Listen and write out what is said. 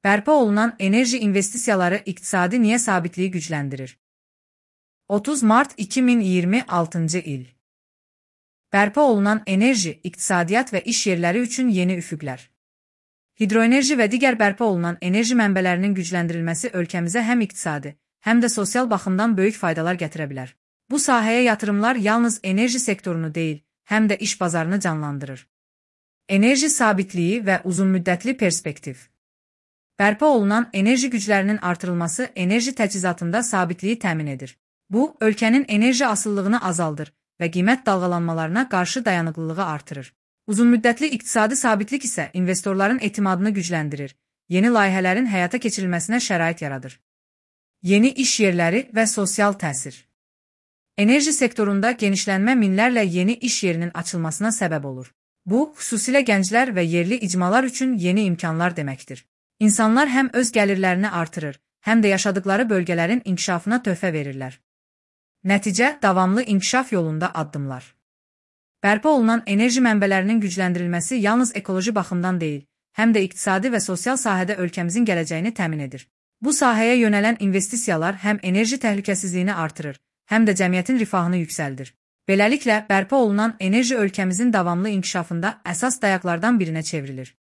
Bərpa olunan enerji investisiyaları iqtisadi niyə sabitliyi gücləndirir? 30 Mart 2026 il. Bərpa olunan enerji, iqtisadiyyat və iş yerləri üçün yeni üfüqlər. Hidroenerji və digər bərpa olunan enerji mənbələrinin gücləndirilməsi ölkəmizə həm iqtisadi, həm də sosial baxımdan böyük faydalar gətirə bilər. Bu sahəyə yatırımlar yalnız enerji sektorunu deyil, həm də iş bazarını canlandırır. Enerji sabitliyi və uzunmüddətli perspektiv. Bərpa olunan enerji güclərinin artırılması enerji təchizatında sabitliyi təmin edir. Bu, ölkənin enerji asıllığını azaldır və qiymət dalğalanmalarına qarşı dayanıqlılığı artırır. Uzunmüddətli iqtisadi sabitlik isə investorların etimadını gücləndirir, yeni layihələrin həyata keçirilməsinə şərait yaradır. Yeni iş yerləri və sosial təsir. Enerji sektorunda genişlənmə minlərlə yeni iş yerinin açılmasına səbəb olur. Bu, xüsusilə gənclər və yerli icmalar üçün yeni imkanlar deməkdir. İnsanlar həm öz gəlirlərini artırır, həm də yaşadıkları bölgələrin inkişafına töhfə verirlər. Nəticə, davamlı inkişaf yolunda addımlar. Bərpa olunan enerji mənbələrinin gücləndirilməsi yalnız ekoloji baxımdan deyil, həm də iqtisadi və sosial sahədə ölkəmizin gələcəyini təmin edir. Bu sahəyə yönələn investisiyalar həm enerji təhlükəsizliyini artırır, həm də cəmiyyətin rifahını yüksəldir. Beləliklə, bərpa olunan enerji ölkəmizin davamlı inkişafında əsas dayaqlardan birinə çevrilir.